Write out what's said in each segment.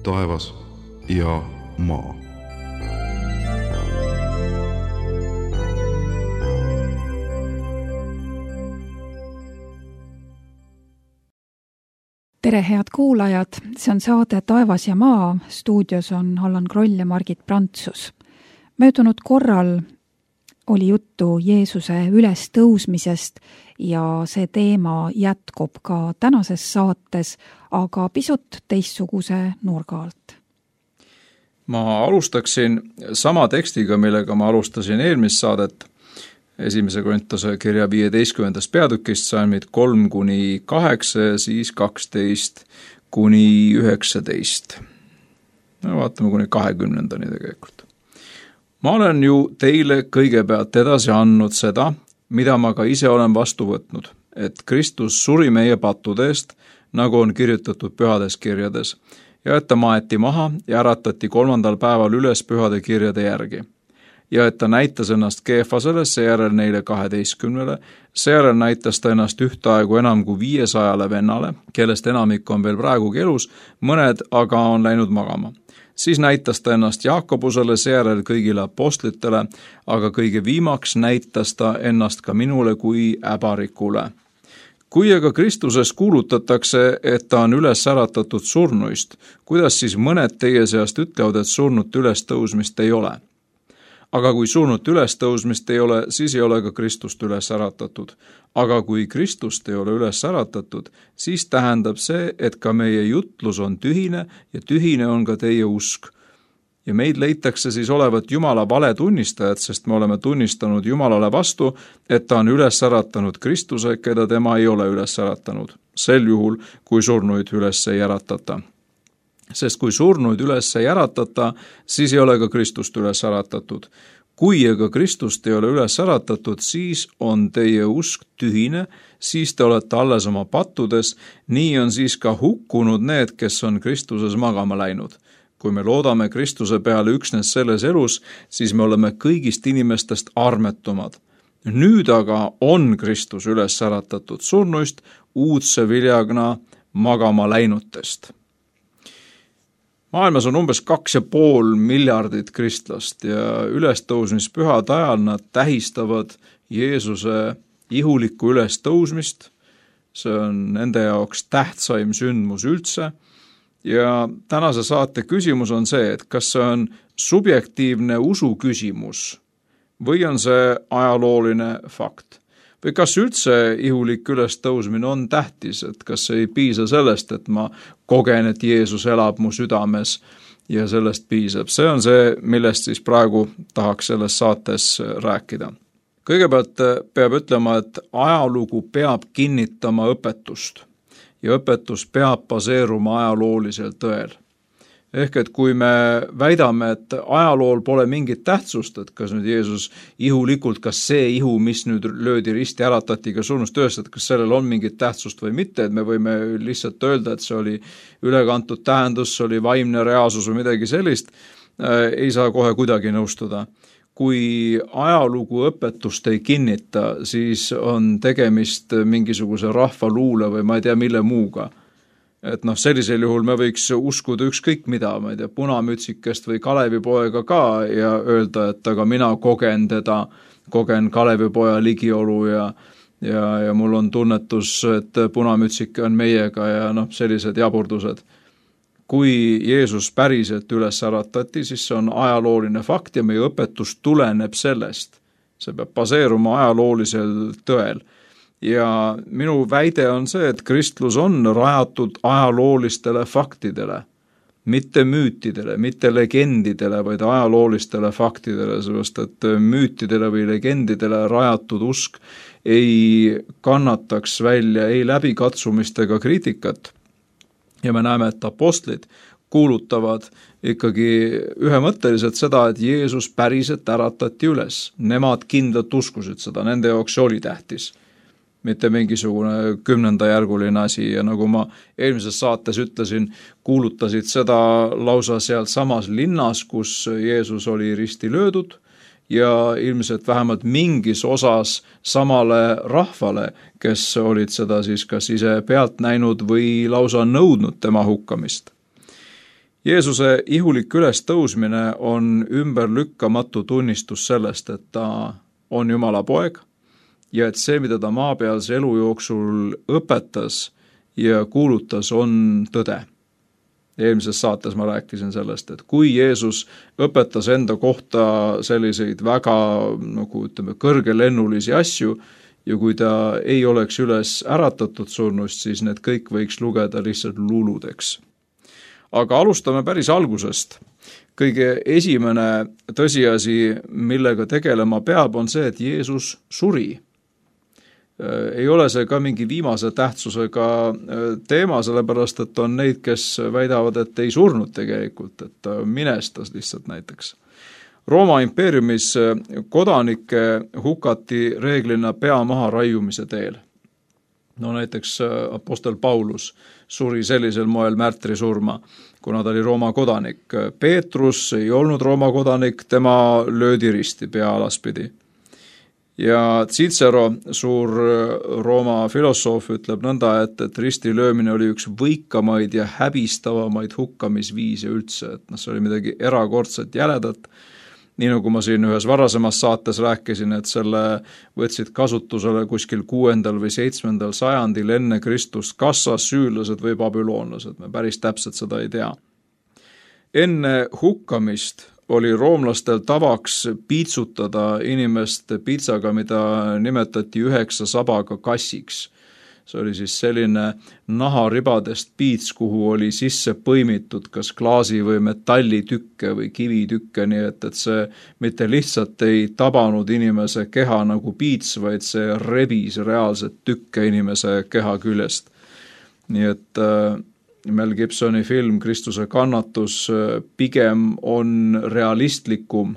taevas ja maa. Tere, head kuulajad! See on saade Taevas ja maa. Stuudios on Allan Kroll ja Margit Prantsus. Möödunud korral oli juttu Jeesuse ülestõusmisest ja see teema jätkub ka tänases saates, aga pisut teistsuguse nurga alt. Ma alustaksin sama tekstiga, millega ma alustasin eelmist saadet. 1. Korintuse kirja 15. peatükist salmid 3-8 ja siis 12-19. No, vaatame kuni 20-ndani tegelikult. Ma olen ju teile kõigepealt edasi andnud seda, mida ma ka ise olen vastu võtnud, et Kristus suri meie pattude eest, nagu on kirjutatud pühades kirjades, ja et ta maeti maha ja äratati 3. päeval üles pühade kirjade järgi. Ja et ta näitas ennast Keefasele, seejärel neile 12, seejärel näitas ta ennast ühtaegu enam kui 500 vennale, kellest enamik on veel praegugi elus, mõned aga on läinud magama. Siis näitas ta ennast Jaakobusele, seejärel kõigile apostlitele, aga kõige viimaks näitas ta ennast ka minule kui äbarikule. Kui aga Kristuses kuulutatakse, et ta on üles äratatud surnuist, kuidas siis mõned teie seast ütlevad, et surnut ülestõusmist ei ole? Aga kui surnut ülestõusmist ei ole, siis ei ole ka Kristust üles äratatud. Aga kui Kristust ei ole üles äratatud, siis tähendab see, et ka meie jutlus on tühine ja tühine on ka teie usk. Ja meid leitakse siis olevat Jumala vale tunnistajad, sest me oleme tunnistanud Jumalale vastu, et ta on üles äratanud Kristuse, keda tema ei ole üles äratanud. Sel juhul, kui surnuid üles ei äratata. Sest kui surnuid üles ei äratata, siis ei ole ka Kristust üles äratatud. Kui aga Kristust ei ole üles äratatud, siis on teie usk tühine, siis te olete alles oma pattudes, nii on siis ka hukkunud need, kes on Kristuses magama läinud. Kui me loodame Kristuse peale üksnes selles elus, siis me oleme kõigist inimestest armetumad. Nüüd aga on Kristus üles äratatud surnuist uudse viljagna magama läinutest. Maailmas on umbes 2,5 miljardit kristlast ja ülestõusmispühade ajal nad tähistavad Jeesuse ihulikku ülestõusmist. See on nende jaoks tähtsaim sündmus üldse. Ja tänase saate küsimus on see, et kas see on subjektiivne usu küsimus või on see ajalooline fakt? Või kas üldse ihulik ülestõusmine on tähtis, et kas ei piisa sellest, et ma kogen, et Jeesus elab mu südames ja sellest piisab. See on see, millest siis praegu tahaks selles saates rääkida. Kõigepealt peab ütlema, et ajalugu peab kinnitama õpetust ja õpetus peab baseeruma ajaloolisel tõel. Ehk et kui me väidame, et ajalool pole mingit tähtsust, et kas nüüd Jeesus ihulikult, kas see ihu, mis nüüd löödi risti äratati ka surnust üles, et kas sellel on mingit tähtsust või mitte, et me võime lihtsalt öelda, et see oli ülekantud tähendus, see oli vaimne reaalsus või midagi sellist, ei saa kohe kuidagi nõustuda. Kui ajalugu õpetust ei kinnita, siis on tegemist mingisuguse rahvaluule või ma ei tea mille muuga. Et sellisel juhul me võiks uskuda ükskõik mida, ma ei tea, punamütsikest või Kalevipoega ka ja öelda, et aga mina kogen teda, kogen Kalevipoja ligiolu ja mul on tunnetus, et punamütsike on meiega ja sellised jaburdused. Kui Jeesus päriselt üles äratati, siis see on ajalooline fakt ja meie õpetus tuleneb sellest. See peab baseeruma ajaloolisel tõel. Ja minu väide on see, et kristlus on rajatud ajaloolistele faktidele, mitte müütidele, mitte legendidele, vaid ajaloolistele faktidele, sellepärast et müütidele või legendidele rajatud usk ei kannataks välja ei läbikatsumist ega kriitikat. Ja me näeme, et apostlid kuulutavad ikkagi ühemõtteliselt seda, et Jeesus päriselt äratati üles. Nemad kindlalt uskusid seda, nende jaoks oli tähtis. Mitte mingisugune 10. järguline asi ja nagu ma eelmises saates ütlesin, kuulutasid seda lausa seal samas linnas, kus Jeesus oli risti löödud ja ilmselt vähemalt mingis osas samale rahvale, kes olid seda siis kas ise pealt näinud või lausa nõudnud tema hukkamist. Jeesuse ihulik ülestõusmine on ümberlükkamatu tunnistus sellest, et ta on Jumala poeg ja et see, mida ta maapealse elu jooksul õpetas ja kuulutas, on tõde. Eelmises saates ma rääkisin sellest, et kui Jeesus õpetas enda kohta selliseid väga kõrgelennulisi asju ja kui ta ei oleks üles äratatud surnust, siis need kõik võiks lugeda lihtsalt luuludeks. Aga alustame päris algusest. Kõige esimene tõsiasi, millega tegelema peab, on see, et Jeesus suri. Ei ole see ka mingi viimase tähtsusega teema, sellepärast et on neid, kes väidavad, et ei surnud tegelikult, et minestas lihtsalt näiteks. Rooma impeeriumis kodanikke hukati reeglina pea maha raiumise teel. No näiteks apostel Paulus suri sellisel moel märtrisurma, kuna ta oli Rooma kodanik. Peetrus ei olnud Rooma kodanik, tema löödi risti pea alaspidi. Ja Cicero, suur Rooma filosoof, ütleb nõnda, et risti löömine oli üks võikamaid ja häbistavamaid hukkamisviise üldse, et see oli midagi erakordset jäledat. Nii nagu ma siin ühes varasemas saates rääkisin, et selle võtsid kasutusele kuskil 6. või 7. sajandil enne Kristust Kassas süülased või babüloonlased, me päris täpselt seda ei tea. Enne hukkamist oli roomlastel tavaks piitsutada inimest piitsaga, mida nimetati 9 sabaga kassiks. See oli siis selline naharibadest piits, kuhu oli sisse põimitud kas klaasi või metallitükke või kivitükke, nii et see mitte lihtsalt ei tabanud inimese keha nagu piits, vaid see rebis reaalselt tükke inimese keha küljest. Nii et Mel Gibsoni film Kristuse kannatus pigem on realistlikum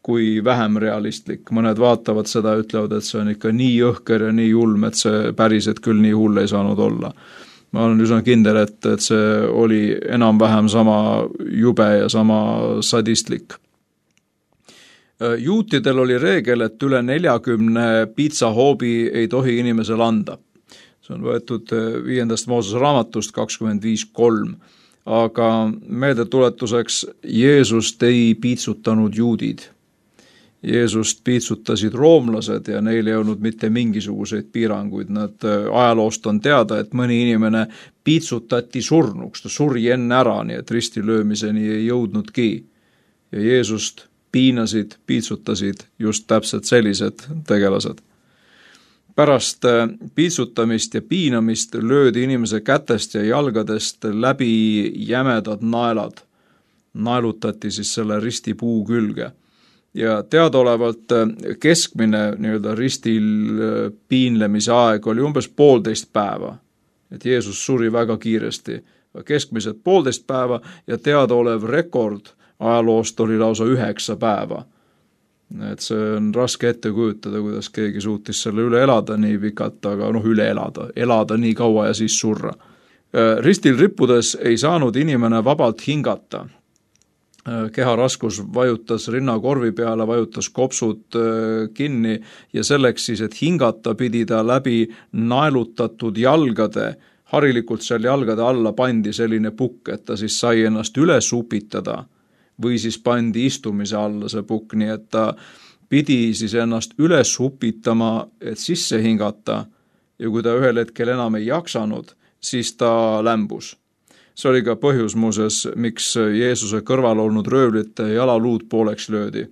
kui vähem realistlik. Mõned vaatavad seda ja ütlevad, et see on ikka nii jõhker ja nii julm, et see päriselt küll nii hull ei saanud olla. Ma olen üsna kindel, et see oli enam-vähem sama jube ja sama sadistlik. Juutidel oli reegel, et üle 40 piitsahoobi ei tohi inimesel anda. See on võetud 5. Moosese raamatust 25.3. Aga meeldetuletuseks Jeesust ei piitsutanud juudid. Jeesust piitsutasid roomlased ja neil ei olnud mitte mingisuguseid piiranguid. Nad ajaloost on teada, et mõni inimene piitsutati surnuks, ta suri enne ära, nii et ristilöömiseni ei jõudnudki. Ja Jeesust piinasid, piitsutasid just täpselt sellised tegelased. Pärast piitsutamist ja piinamist löödi inimese kätest ja jalgadest läbi jämedad naelad. Naelutati siis selle ristipuu külge. Ja teadaolevalt keskmine ristil piinlemise aeg oli umbes 1,5 päeva. Et Jeesus suri väga kiiresti. Keskmiselt 1,5 päeva ja teadaolev rekord ajaloost oli lausa 9 päeva. Et see on raske ette kujutada, kuidas keegi suutis selle üle elada nii pikalt, aga üle elada nii kaua ja siis surra. Ristil rippudes ei saanud inimene vabalt hingata. Keharaskus vajutas rinnakorvi peale, vajutas kopsud kinni ja selleks siis, et hingata pidi ta läbi naelutatud jalgade. Harilikult seal jalgade alla pandi selline pukk, et ta siis sai ennast üles upitada või siis pandi istumise alla see pukk, nii et ta pidi siis ennast üles upitama, et sisse hingata ja kui ta ühel hetkel enam ei jaksanud, siis ta lämbus. See oli ka põhjus muuseas, miks Jeesuse kõrval olnud röövlite jalaluud pooleks löödi.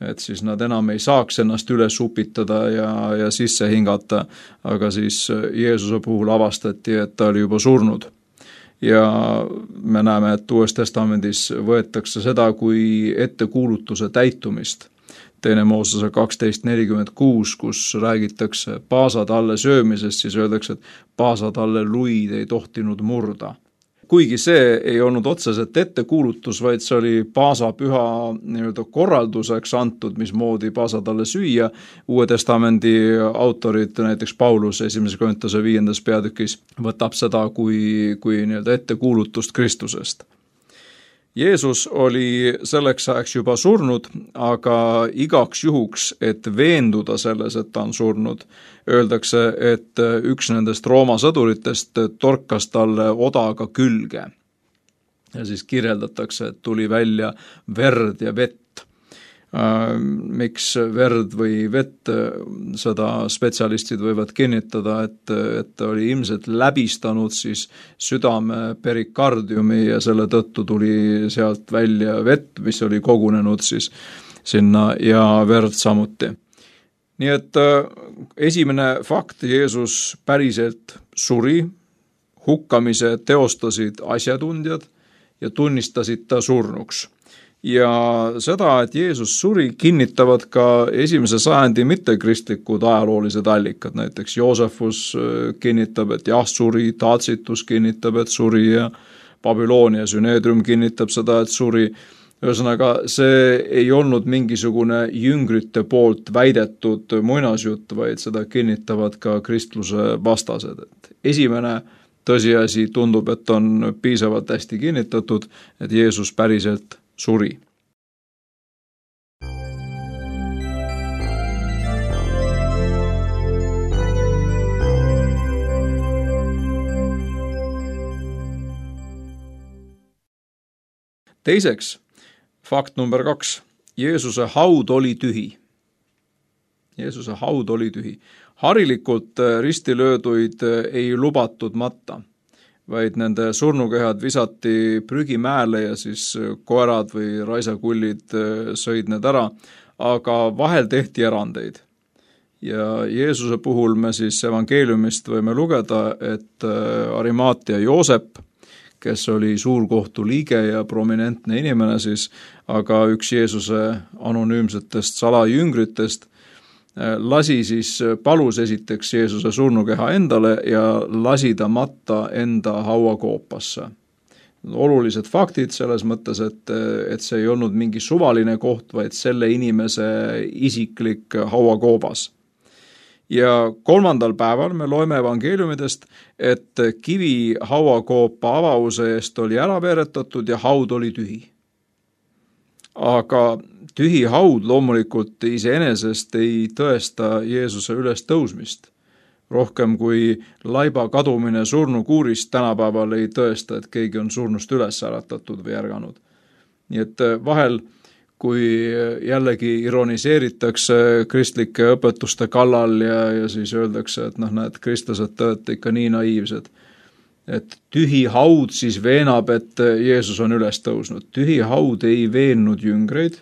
Et siis nad enam ei saaks ennast üles upitada ja sisse hingata, aga siis Jeesuse puhul avastati, et ta oli juba surnud. Ja me näeme, et Uues Testamendis võetakse seda kui ettekuulutuse täitumist. 2. Moosese 12.46, kus räägitakse paasatalle söömisest, siis öeldakse, et paasatalle luid ei tohtinud murda. Kuigi see ei olnud otseselt ettekuulutus, vaid see oli paasapüha korralduseks antud, mismoodi paasatalle süüa. Uue Testamendi autorid, näiteks Paulus 1. Korintuse 5. peatükis võtab seda kui ettekuulutust Kristusest. Jeesus oli selleks ajaks juba surnud, aga igaks juhuks, et veenduda selles, et ta on surnud, öeldakse, et üks nendest Rooma sõduritest torkas talle odaga külge. ja siis kirjeldatakse, et tuli välja verd ja vett. Miks verd või vett, seda spetsialistid võivad kinnitada, et oli ilmselt läbistanud siis südame perikardiumi ja selle tõttu tuli sealt välja vett, mis oli kogunenud siis sinna ja verd samuti. Nii et esimene fakt, Jeesus päriselt suri, hukkamise teostasid asjatundjad ja tunnistasid ta surnuks. Ja seda, et Jeesus suri, kinnitavad ka esimese sajandi mittekristlikud ajaloolised allikad, näiteks Joosefus kinnitab, et jah, suri, Tacitus kinnitab, et suri ja Babyloonia Süneedrium kinnitab seda, et suri. Ühesõnaga, see ei olnud mingisugune jüngrite poolt väidetud muinasjutt, vaid seda kinnitavad ka kristluse vastased. Et esimene tõsiasi tundub, et on piisavalt hästi kinnitatud, et Jeesus päriselt suri. Teiseks, fakt number 2. Jeesuse haud oli tühi. Jeesuse haud oli tühi. Harilikult ristilööduid ei lubatud matta, vaid nende surnukehad visati prügimäele ja siis koerad või raisakullid sõid need ära, aga vahel tehti erandeid. Ja Jeesuse puhul me siis evangeeliumist võime lugeda, et Arimaatia Joosep, kes oli suurkohtu liige ja prominentne inimene siis, aga üks Jeesuse anonüümsetest salajüngritest, palus esiteks Jeesuse surnukeha endale ja lasi ta matta enda hauakoopasse. Olulised faktid selles mõttes, et see ei olnud mingi suvaline koht, vaid selle inimese isiklik hauakoobas. Ja 3. päeval me loeme evangeeliumidest, et kivi hauakoopa avause eest oli ära veeretatud ja haud oli tühi. Aga tühi haud loomulikult iseenesest ei tõesta Jeesuse ülestõusmist. Rohkem kui laiba kadumine surnukuurist tänapäeval ei tõesta, et keegi on surnust üles äratatud või ärganud. Nii et vahel, kui jällegi ironiseeritakse kristlike õpetuste kallal ja siis öeldakse, et näed, kristlased tõete ikka nii naiivsed, et tühi haud siis veenab, et Jeesus on üles tõusnud. Tühi haud ei veennud jüngreid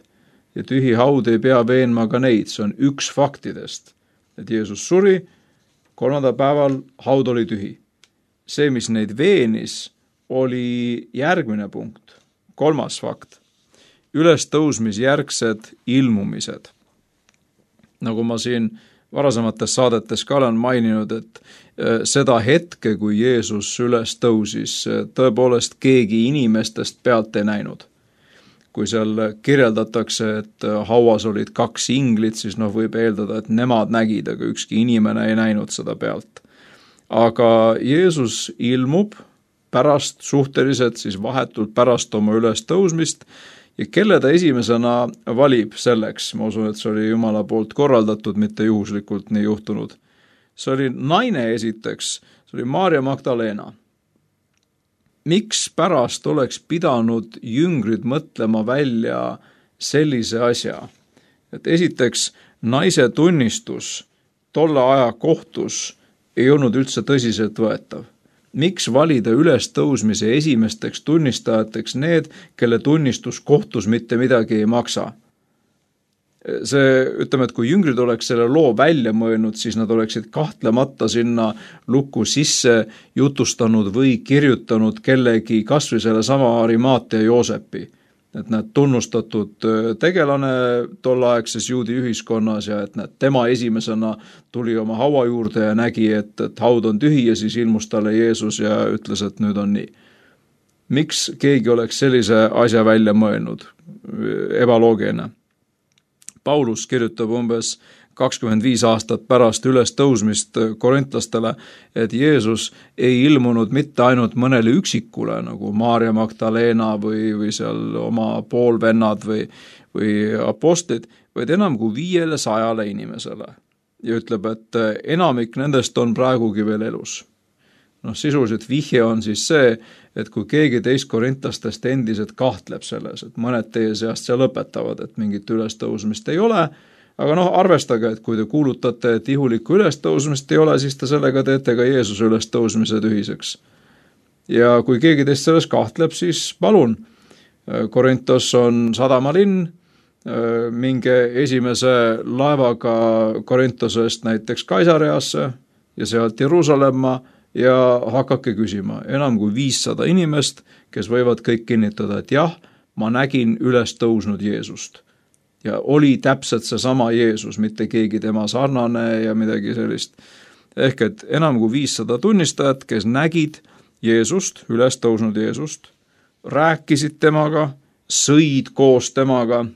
ja tühi haud ei pea veenma ka neid. See on üks faktidest, et Jeesus suri, 3. päeval haud oli tühi. See, mis neid veenis, oli järgmine punkt. 3. fakt. Ülestõusmisjärgsed ilmumised. Nagu ma siin varasemates saadetes ka olen maininud, et seda hetke, kui Jeesus üles tõusis, tõepoolest keegi inimestest pealt ei näinud. Kui seal kirjeldatakse, et hauas olid 2 inglit, siis võib eeldada, et nemad nägid, aga ükski inimene ei näinud seda pealt. Aga Jeesus ilmub pärast, suhteliselt siis vahetult pärast oma ülestõusmist ja kelle ta esimesena valib selleks, ma usun, et see oli Jumala poolt korraldatud, mitte juhuslikult nii juhtunud. See oli naine esiteks, see oli Maarja Magdalena. Miks pärast oleks pidanud jüngrid mõtlema välja sellise asja? Et esiteks, naise tunnistus tolle aja kohtus ei olnud üldse tõsiselt võetav. Miks valida ülestõusmise esimesteks tunnistajateks need, kelle tunnistus kohtus mitte midagi ei maksa? See, ütleme, et kui jüngrid oleks selle loo välja mõelnud, siis nad oleksid kahtlemata sinna lukku sisse jutustanud või kirjutanud kellegi, kas või selle sama Arimaatia Joosepi. Et nad tunnustatud tegelane tolleaegses juudi ühiskonnas ja et tema esimesena tuli oma haua juurde ja nägi, et haud on tühi ja siis ilmus talle Jeesus ja ütles, et nüüd on nii. Miks keegi oleks sellise asja välja mõelnud? Ebaloogiline. Paulus kirjutab umbes 25 aastat pärast ülestõusmist korintlastele, et Jeesus ei ilmunud mitte ainult mõnele üksikule, nagu Maarja Magdalena või seal oma poolvennad või apostlid, vaid enam kui 500 inimesele. Ja ütleb, et enamik nendest on praegugi veel elus. Sisuliselt vihje on siis see, et kui keegi teist korintlastest endiselt kahtleb selles, et mõned teie seast seal õpetavad, et mingit ülestõusmist ei ole, aga arvestage, et kui te kuulutate, et ihulikku ülestõusmist ei ole, siis te sellega teete ka Jeesuse ülestõusmise tühiseks. Ja kui keegi teist selles kahtleb, siis palun, Korintos on sadamalinn, minge esimese laevaga Korintosest näiteks Kaisareasse ja sealt Jeruusalemma ja hakake küsima. Enam kui 500 inimest, kes võivad kõik kinnitada, et jah, ma nägin üles tõusnud Jeesust. Ja oli täpselt seesama Jeesus, mitte keegi tema sarnane ja midagi sellist. Ehk et enam kui 500 tunnistajat, kes nägid Jeesust, üles tõusnud Jeesust, rääkisid temaga, sõid koos temaga.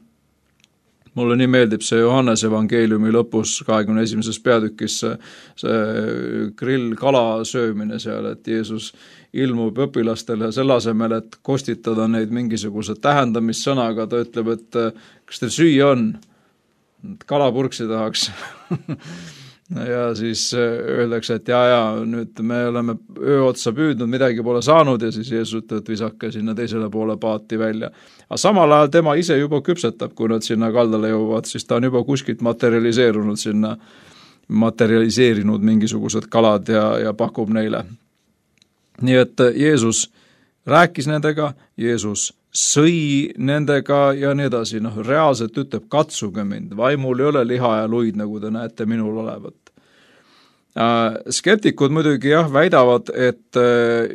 Mulle nii meeldib see Johannes evangeeliumi lõpus 21. peatükis see grillkala söömine seal, et Jeesus ilmub õpilastele selle asemel, et kostitada neid mingisuguse tähendamissõnaga, ta ütleb, et kas teil süüa on? Kalapurksi tahaks. Ja siis öeldakse, et nüüd me oleme öö otsa püüdnud, midagi pole saanud ja siis Jeesus ütleb, et visake sinna teisele poole paati välja. Aga samal ajal tema ise juba küpsetab, kui nad sinna kaldale jõuavad, siis ta on juba kuskilt materialiseerinud mingisugused kalad ja pakub neile. Nii et Jeesus rääkis nendega, Jeesus sõi nendega ja nii edasi. Reaalselt ütleb, katsuge mind, vaimul ei ole liha ja luid, nagu te näete minul olevat. Skeptikud muidugi väidavad, et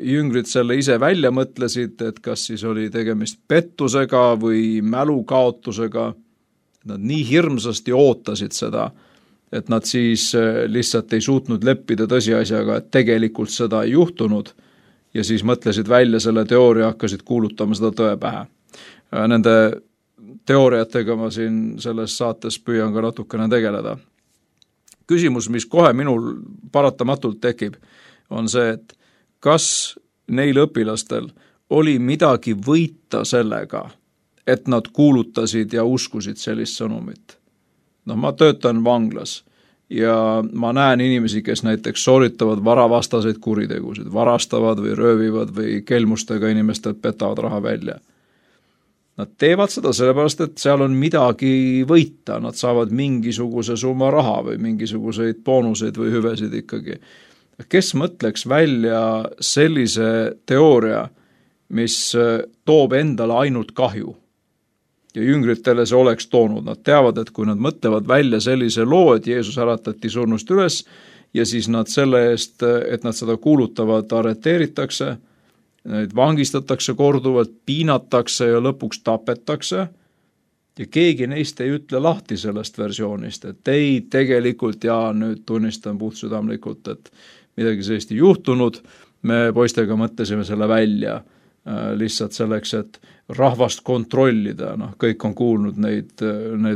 jüngrid selle ise välja mõtlesid, et kas siis oli tegemist pettusega või mälukaotusega. Nad nii hirmsasti ootasid seda, et nad siis lihtsalt ei suutnud leppida tõsiasjaga, et tegelikult seda ei juhtunud. Ja siis mõtlesid välja selle teooria, hakkasid kuulutama seda tõe pähe. Nende teooriatega ma siin selles saates püüan ka natukene tegeleda. Küsimus, mis kohe minul paratamatult tekib, on see, et kas neil õpilastel oli midagi võita sellega, et nad kuulutasid ja uskusid sellist sõnumit. Ma töötan vanglas. Ja ma näen inimesi, kes näiteks sooritavad varavastaseid kuritegusid, varastavad või röövivad või kelmustega inimestelt petavad raha välja. Nad teevad seda sellepärast, et seal on midagi võita, nad saavad mingisuguse summa raha või mingisuguseid boonuseid või hüvesid ikkagi. Kes mõtleks välja sellise teooria, mis toob endale ainult kahju? Ja jüngritele see oleks toonud. Nad teavad, et kui nad mõtlevad välja sellise loo, et Jeesus äratati surnust üles ja siis nad selle eest, et nad seda kuulutavad, arreteeritakse, neid vangistatakse korduvalt, piinatakse ja lõpuks tapetakse ja keegi neist ei ütle lahti sellest versioonist, et ei tegelikult nüüd tunnistan puhtsüdamlikult, et midagi sellist ei juhtunud, me poistega mõtlesime selle välja lihtsalt selleks, et rahvast kontrollida, kõik on kuulnud neid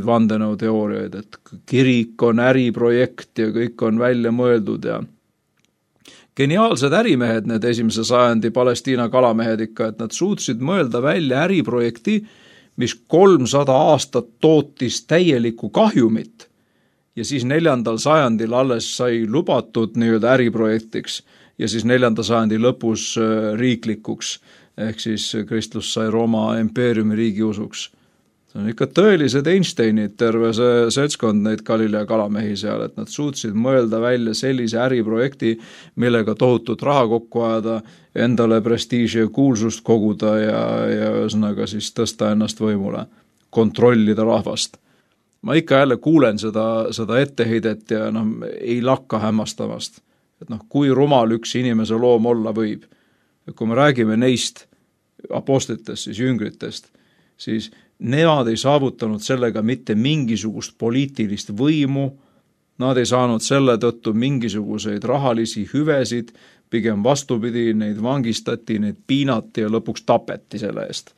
vandenõuteooriaid, et kirik on äriprojekt ja kõik on välja mõeldud ja geniaalsed ärimehed, need 1. sajandi Palestiina kalamehed ikka, et nad suutsid mõelda välja äriprojekti, mis 300 aastat tootis täielikku kahjumit ja siis 4. sajandil alles sai lubatud nii-öelda äriprojektiks ja siis 4. sajandi lõpus riiklikuks. Ehk siis kristlus sai Rooma impeeriumi riigiusuks. See on ikka tõelised Einsteinid, terve see seltskond neid Galilea kalamehi seal, et nad suutsid mõelda välja sellise äriprojekti, millega tohutut raha kokku ajada, endale prestiiži ja kuulsust koguda ja ühesõnaga siis tõsta ennast võimule, kontrollida rahvast. Ma ikka jälle kuulen seda etteheidet ja ei lakka hämmastamast, et kui rumal üks inimese loom olla võib. Kui me räägime neist apostlitest, siis jüngritest, siis nemad ei saavutanud sellega mitte mingisugust poliitilist võimu, nad ei saanud selle tõttu mingisuguseid rahalisi hüvesid, pigem vastupidi, neid vangistati, neid piinati ja lõpuks tapeti selle eest.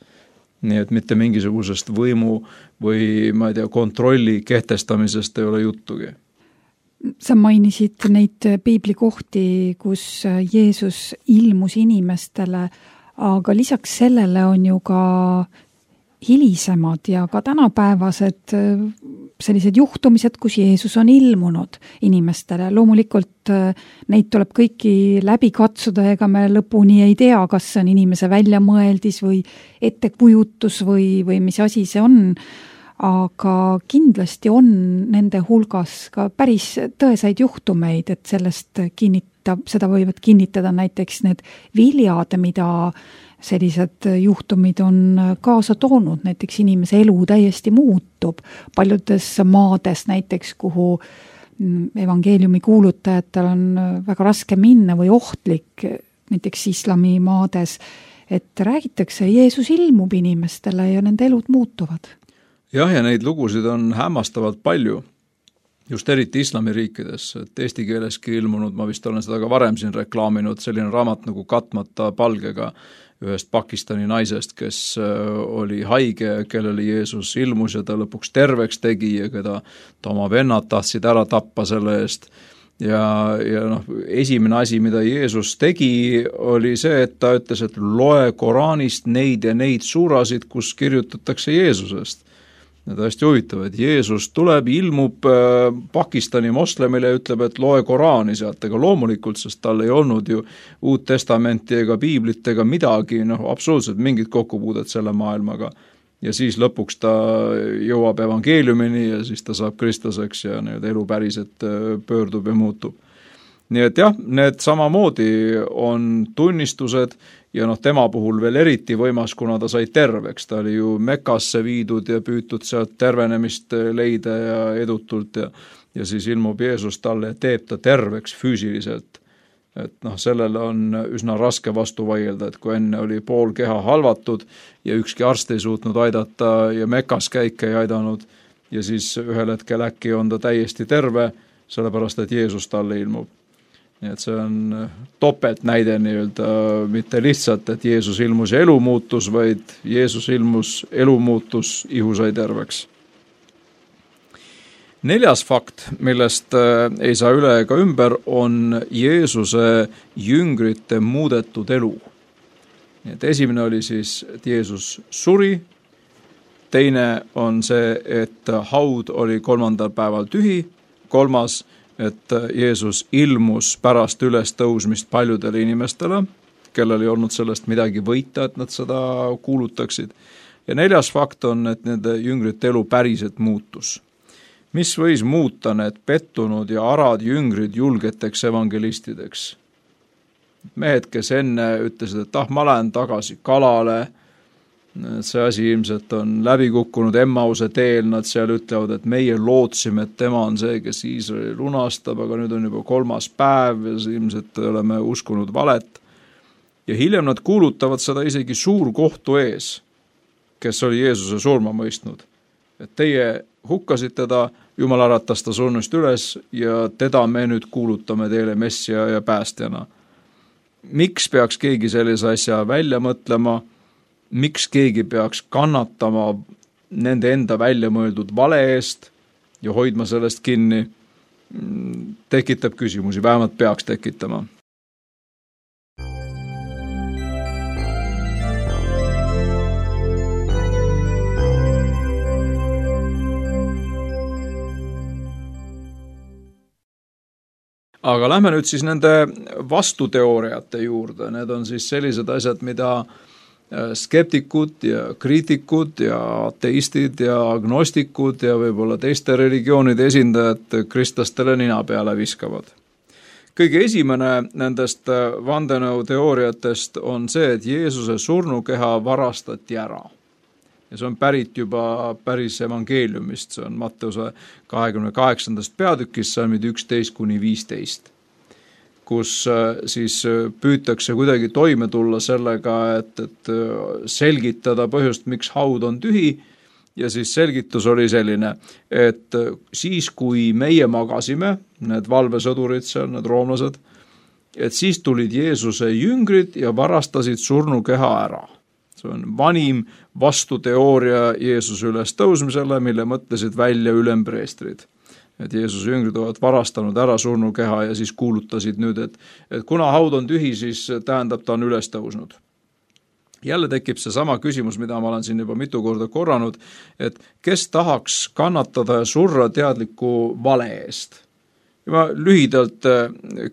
Nii et mitte mingisugusest võimu või kontrolli kehtestamisest ei ole juttugi. Sa mainisid neid piiblikohti, kus Jeesus ilmus inimestele, aga lisaks sellele on ju ka hilisemad ja ka tänapäevased sellised juhtumised, kus Jeesus on ilmunud inimestele. Loomulikult neid tuleb kõiki läbi katsuda, ega me lõpuni ei tea, kas see on inimese väljamõeldis või ettekujutus või mis asi see on. Aga kindlasti on nende hulgas ka päris tõesaid juhtumeid, et seda võivad kinnitada näiteks need viljad, mida sellised juhtumid on kaasa toonud, näiteks inimese elu täiesti muutub. Paljudes maades näiteks, kuhu evangeeliumi kuulutajatel on väga raske minna või ohtlik, näiteks islami maades, et räägitakse, Jeesus ilmub inimestele ja nende elud muutuvad. Jah, ja neid lugusid on hämmastavalt palju, just eriti islamiriikides, et eesti keeleski ilmunud, ma vist olen seda ka varem siin reklaaminud, selline raamat nagu Katmata palgega ühest Pakistani naisest, kes oli haige, kellele Jeesus ilmus ja ta lõpuks terveks tegi ja keda ta oma vennad tahtsid ära tappa selle eest. Ja esimene asi, mida Jeesus tegi, oli see, et ta ütles, et loe Koraanist neid ja neid suurasid, kus kirjutatakse Jeesusest. Need on hästi huvitav, et Jeesus tuleb, ilmub Pakistani moslemile ja ütleb, et loe Koraani sealt, ega loomulikult, sest tal ei olnud ju Uut Testamenti ega Piiblit ega midagi, absoluutselt mingit kokkupuudet selle maailmaga. Ja siis lõpuks ta jõuab evangeeliumini ja siis ta saab kristlaseks ja elu päriselt pöördub ja muutub. Nii et jah, need samamoodi on tunnistused ja tema puhul veel eriti võimas, kuna ta sai terveks. Ta oli ju Mekasse viidud ja püütud sealt tervenemist leida ja edutult ja siis ilmub Jeesus talle ja teeb ta terveks füüsiliselt. Et sellele on üsna raske vastu vaielda, et kui enne oli pool keha halvatud ja ükski arst ei suutnud aidata ja Mekas käike ei aidanud ja siis ühel hetkel äkki on ta täiesti terve, sellepärast et Jeesus talle ilmub. Nii et see on topelt näide mitte lihtsalt, et Jeesus ilmus ja elu muutus, vaid Jeesus ilmus, elu muutus, ihu sai terveks. 4. fakt, millest ei saa üle ega ümber, on Jeesuse jüngrite muudetud elu. Nii et esimene oli siis, et Jeesus suri, teine on see, et haud oli 3. päeval tühi, 3. et Jeesus ilmus pärast ülestõusmist paljudele inimestele, kellel ei olnud sellest midagi võita, et nad seda kuulutaksid. Ja 4. fakt on, et nende jüngrite elu päriselt muutus. Mis võis muuta need pettunud ja arad jüngrid julgeteks evangelistideks? Mehed, kes enne ütlesid, et ma lähen tagasi kalale, see asi ilmselt on läbi kukkunud Emmause teel, nad seal ütlevad, et meie lootsime, et tema on see, kes Iisraeli lunastab, aga nüüd on juba 3. päev ja ilmselt oleme uskunud valet. Ja hiljem nad kuulutavad seda isegi suurkohtu ees, kes oli Jeesuse surma mõistnud. Et teie hukkasite ta, Jumal äratas ta surnust üles ja teda me nüüd kuulutame teile messia ja päästjana. Miks peaks keegi sellise asja välja mõtlema? Miks keegi peaks kannatama nende enda välja mõeldud vale eest ja hoidma sellest kinni? Tekitab küsimusi, vähemalt peaks tekitama. Aga lähme nüüd siis nende vastuteooriate juurde. Need on siis sellised asjad, mida skeptikud ja kriitikud ja ateistid ja agnostikud ja võib-olla teiste religioonide esindajad kristlastele nina peale viskavad. Kõige esimene nendest vandenõuteooriatest on see, et Jeesuse surnukeha varastati ära. Ja see on pärit juba päris evangeeliumist, see on Matteuse 28. peatükis, salmid 11-15, kus siis püütakse kuidagi toime tulla sellega, et selgitada põhjust, miks haud on tühi, ja siis selgitus oli selline, et siis, kui meie magasime, need valvesõdurid seal, need roomlased, et siis tulid Jeesuse jüngrid ja varastasid surnukeha ära. See on vanim vastuteooria Jeesuse üles tõusmisele, mille mõtlesid välja ülempreestrid. Et Jeesuse jüngrid ovat varastanud ära surnukeha ja siis kuulutasid nüüd, et kuna haud on tühi, siis tähendab ta on üles tõusnud. Jälle tekib see sama küsimus, mida ma olen siin juba mitu korda korranud, et kes tahaks kannatada ja surra teadliku vale eest. Ja ma lühidalt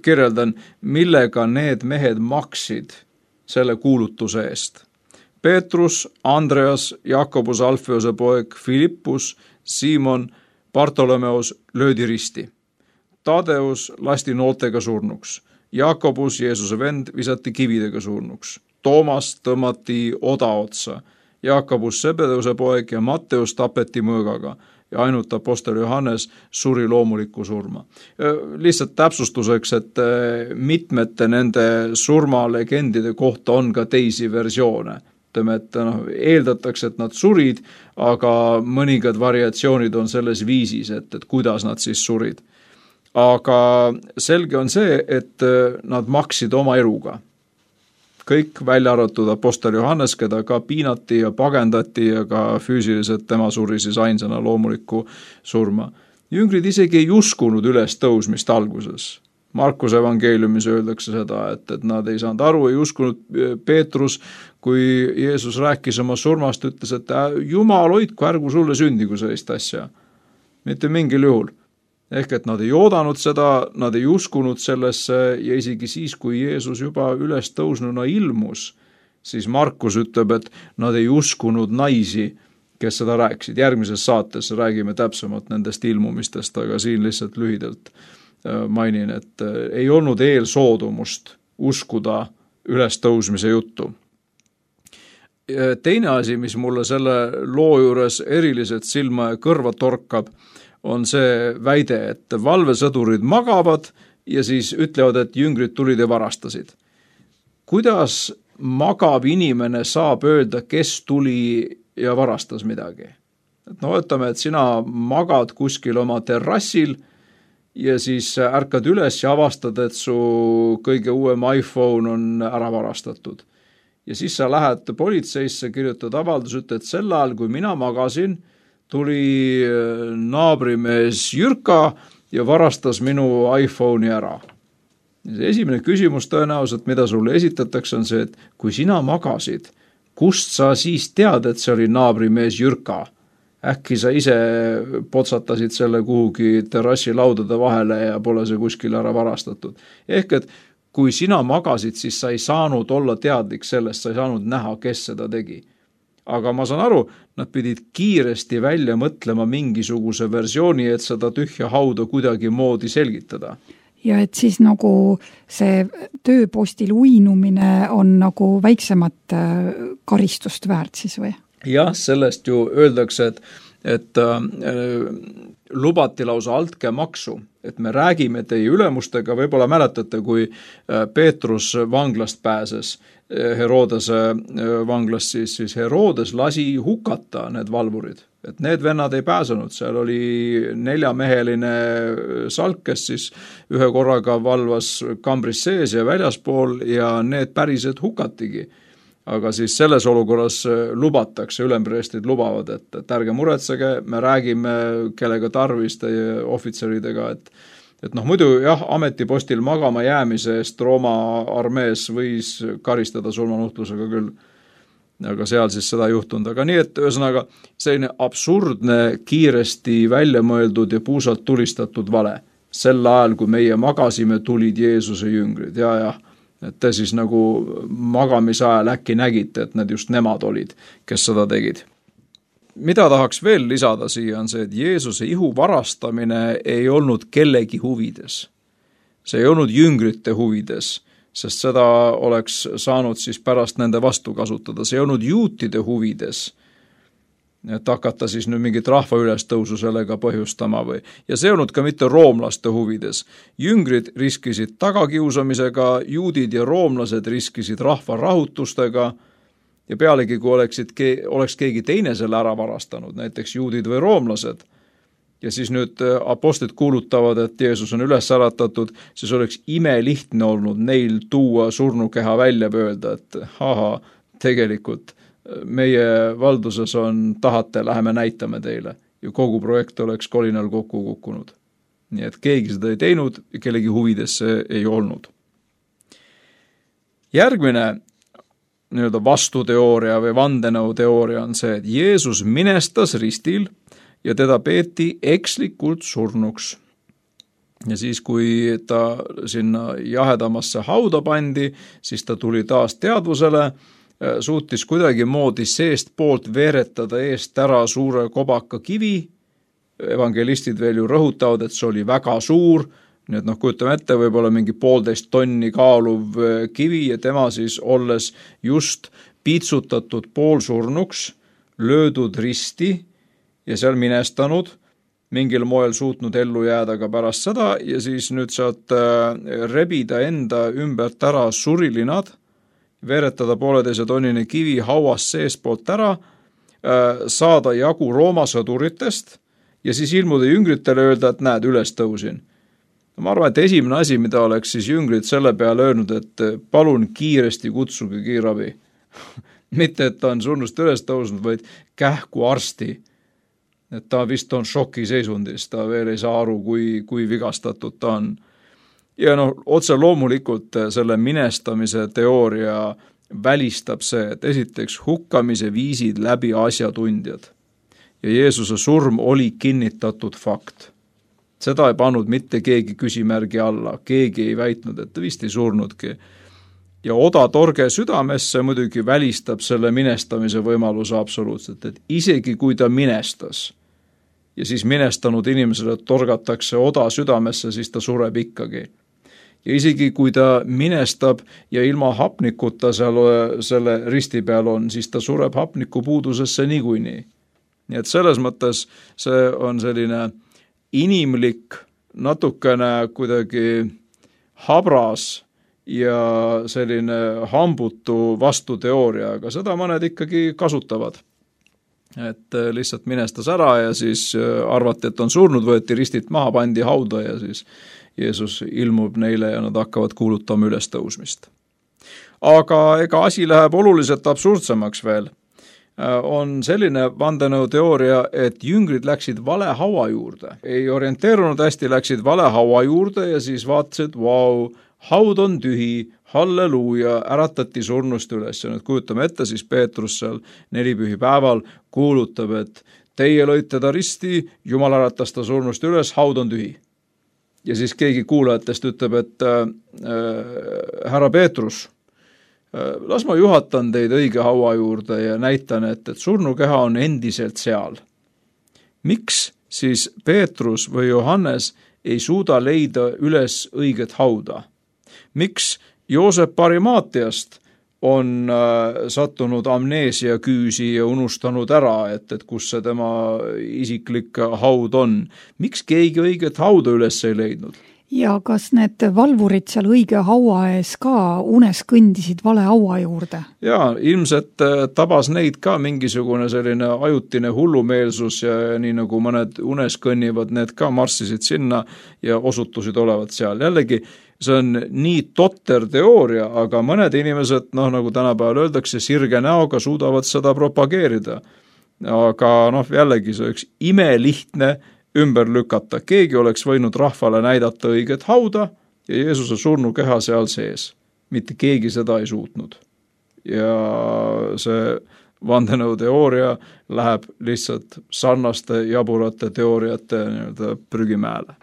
kirjeldan, millega need mehed maksid selle kuulutuse eest. Peetrus, Andreas, Jakobus, Alfeose poeg, Filippus, Simon, Bartolomeus löödi risti. Tadeus lasti nooltega surnuks. Jakobus, Jeesuse vend, visati kividega surnuks. Toomas tõmmati oda otsa. Jakobus, Sebedeuse poeg ja Matteus tapeti mõõgaga ja ainult apostel Johannes suri loomulikku surma. Lihtsalt täpsustuseks, et mitmete nende surmalegendide kohta on ka teisi versioone. Ütleme, et eeldatakse, et nad surid, aga mõningad variatsioonid on selles viisis, et kuidas nad siis surid. Aga selge on see, et nad maksid oma eluga. Kõik välja arvatud apostel Johannes, keda ka piinati ja pagendati ja ka füüsiliselt tema suri siis ainsana loomulikku surma. Jüngrid isegi ei uskunud üles tõusmist alguses. Markuse evangeeliumis öeldakse seda, et nad ei saanud aru, ei uskunud Peetrus, kui Jeesus rääkis oma surmast, ütles, et Jumal hoidku, ärgu sulle sündigu sellist asja. Mitte mingil juhul. Ehk et nad ei oodanud seda, nad ei uskunud sellesse ja isegi siis, kui Jeesus juba üles tõusnuna ilmus, siis Markus ütleb, et nad ei uskunud naisi, kes seda rääkisid. Järgmises saates räägime täpsemalt nendest ilmumistest, aga siin lihtsalt lühidalt mainin, et ei olnud eelsoodumust uskuda üles tõusmise juttu. Teine asi, mis mulle selle loo juures eriliselt silma ja kõrva torkab, on see väide, et valvesõdurid magavad ja siis ütlevad, et jüngrid tulid ja varastasid. Kuidas magav inimene saab öelda, kes tuli ja varastas midagi? Ütleme, et sina magad kuskil oma terrassil ja siis ärkad üles ja avastad, et su kõige uuem iPhone on ära varastatud. Ja siis sa lähed politseisse, kirjutad avaldus, ütled, et sel ajal, kui mina magasin, tuli naabrimees Jürka ja varastas minu iPhone'i ära. See esimene küsimus tõenäoliselt, mida sulle esitatakse, on see, et kui sina magasid, kust sa siis tead, et see oli naabrimees Jürka? Äkki sa ise potsatasid selle kuhugi terrassi laudade vahele ja pole see kuskil ära varastatud. Ehk et kui sina magasid, siis sa ei saanud olla teadlik sellest, sa ei saanud näha, kes seda tegi. Aga ma saan aru, nad pidid kiiresti välja mõtlema mingisuguse versiooni, et seda tühja hauda kuidagi moodi selgitada. Ja et siis nagu see tööpostil uinumine on nagu väiksemat karistust väärt siis või? Jah, sellest ju öeldakse, et lubati lausa altkäemaksu, et me räägime teie ülemustega, võib-olla mäletate, kui Peetrus vanglast pääses, Herodese vanglast, siis Herodes lasi hukata need valvurid, et need vennad ei pääsenud, seal oli 4-meheline salk, kes siis ühe korraga valvas kambris sees ja väljaspool ja need päriselt hukatigi. Aga siis selles olukorras lubatakse, ülempreestrid lubavad, et ärge muretsege, me räägime kellega tarvis teie ohvitseridega, et muidu jah, ametipostil magama jäämise eest Rooma armees võis karistada surmanuhtlusega küll, aga seal siis seda ei juhtunud. Aga nii, et ühesõnaga selline absurdne, kiiresti välja mõeldud ja puusalt tulistatud vale. Sel ajal, kui meie magasime, tulid Jeesuse jüngrid ja et te siis nagu magamise ajal äkki nägite, et need just nemad olid, kes seda tegid. Mida tahaks veel lisada siia on see, et Jeesuse ihu varastamine ei olnud kellegi huvides. See ei olnud jüngrite huvides, sest seda oleks saanud siis pärast nende vastu kasutada. See ei olnud juutide huvides, et hakata siis nüüd mingit rahva ülestõusu sellega põhjustama või. Ja see olnud ka mitte roomlaste huvides. Jüngrid riskisid tagakiusamisega, juudid ja roomlased riskisid rahva rahutustega ja pealegi, kui oleks keegi teine selle ära varastanud, näiteks juudid või roomlased, ja siis nüüd apostlid kuulutavad, et Jeesus on üles äratatud, siis oleks imelihtne olnud neil tuua surnukeha välja öelda, et tegelikult meie valduses on, tahate, läheme näitame teile. Ja kogu projekt oleks kolinal kokku kukkunud. Nii et keegi seda ei teinud ja kellegi huvides see ei olnud. Järgmine nii-öelda vastuteooria või vandenõuteooria on see, et Jeesus minestas ristil ja teda peeti ekslikult surnuks. Ja siis, kui ta sinna jahedamasse hauda pandi, siis ta tuli taas teadvusele, suutis kuidagi moodi seest poolt veeretada eest ära suure kobaka kivi. Evangelistid veel ju rõhutavad, et see oli väga suur, nii et kujutame ette, võib-olla mingi 1,5 tonni kaaluv kivi ja tema siis olles just piitsutatud poolsurnuks, löödud risti ja seal minestanud, mingil moel suutnud ellu jääda ka pärast seda ja siis nüüd sealt rebida enda ümbert ära surilinad, veeretada 1,5 tonnine kivi hauas seespoolt ära, saada jagu Rooma sõduritest ja siis ilmuda jüngritele öelda, et näed, üles tõusin. Ma arvan, et esimene asi, mida oleks siis jüngrid selle peale öelnud, et palun kiiresti kutsuge kiirabi. Mitte, et ta on surnust üles tõusnud, vaid kähku arsti. Et ta vist on šokiseisundis, ta veel ei saa aru, kui vigastatud ta on. Ja otse loomulikult selle minestamise teooria välistab see, et esiteks hukkamise viisid läbi asjatundjad. Ja Jeesuse surm oli kinnitatud fakt. Seda ei pannud mitte keegi küsimärgi alla, keegi ei väitnud, et ta vist ei surnudki. Ja oda torge südamesse muidugi välistab selle minestamise võimaluse absoluutselt, et isegi kui ta minestas, ja siis minestanud inimesele torgatakse oda südamesse, siis ta sureb ikkagi. Ja isegi kui ta minestab ja ilma hapnikuta selle risti peal on, siis ta sureb hapniku puudusesse niikuinii. Nii et selles mõttes see on selline inimlik, natukene kuidagi habras ja selline hambutu vastuteooria, aga seda mõned ikkagi kasutavad. Et lihtsalt minestas ära ja siis arvati, et on surnud, võeti ristilt maha, pandi hauda ja siis Jeesus ilmub neile ja nad hakkavad kuulutama üles tõusmist. Aga ega asi läheb oluliselt absurdsemaks veel. On selline vandenõuteooria, et jüngrid läksid vale haua juurde. Ei orienteerunud hästi, läksid vale haua juurde ja siis vaatasid, vau, haud on tühi, halleluuja, äratati surnust üles ja nüüd kujutame ette, siis Peetrus seal 4 pühipäeval kuulutab, et teie lõite ta risti, Jumal äratas ta surnust üles, haud on tühi. Ja siis keegi kuulajatest ütleb, et härra Peetrus, las ma juhatan teid õige haua juurde ja näitan, et surnukeha on endiselt seal. Miks siis Peetrus või Johannes ei suuda leida üles õiget hauda? Miks Joosep Arimaatiast on sattunud amneesia küüsi ja unustanud ära, et kus see tema isiklik haud on? Miks keegi õiget hauda üles ei leidnud? Ja kas need valvurid seal õige haua ees ka unes kõndisid vale haua juurde? Jaa, ilmselt tabas neid ka mingisugune selline ajutine hullumeelsus ja nii nagu mõned unes kõnnivad, need ka marssisid sinna ja osutusid olevat seal. Jällegi, see on nii totter teooria, aga mõned inimesed, nagu tänapäeval öeldakse, sirge näoga suudavad seda propageerida. Aga jällegi see üks imelihtne ümber lükata. Keegi oleks võinud rahvale näidata õiget hauda ja Jeesuse surnukeha seal sees. Mitte keegi seda ei suutnud. Ja see vandenõuteooria läheb lihtsalt sarnaste jaburate teooriate prügimäele.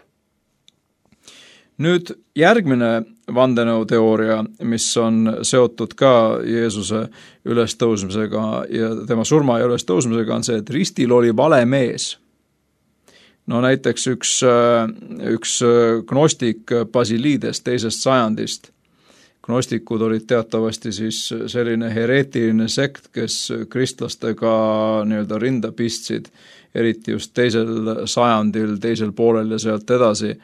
Nüüd järgmine vandenõuteooria, mis on seotud ka Jeesuse ülestõusmisega ja tema surma ja ülestõusmisega, on see, et ristil oli vale mees. Näiteks üks gnostik Basilides 2. sajandist. Gnostikud olid teatavasti siis selline hereetiline sekt, kes kristlastega rinda pistsid, eriti just 2. sajandil, 2. poolel ja sealt edasi.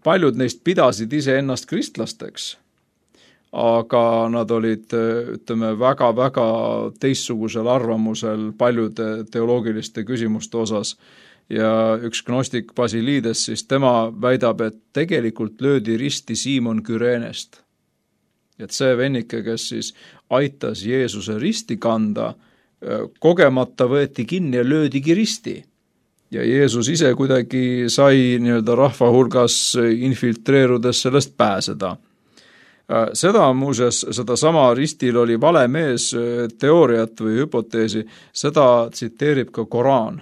Paljud neist pidasid ise ennast kristlasteks, aga nad olid, väga-väga teistsugusel arvamusel paljude teoloogiliste küsimuste osas. Ja üks gnostik Basilides, siis tema väidab, et tegelikult löödi risti Siimon Kürenest. Et see vennike, kes siis aitas Jeesuse risti kanda, kogemata võeti kinni ja löödigi risti. Ja Jeesus ise kuidagi sai rahva hulgas infiltreerudes sellest pääseda. Seda muuseas, seda sama ristil oli vale mees teooriat või hüpoteesi, seda tsiteerib ka Koraan.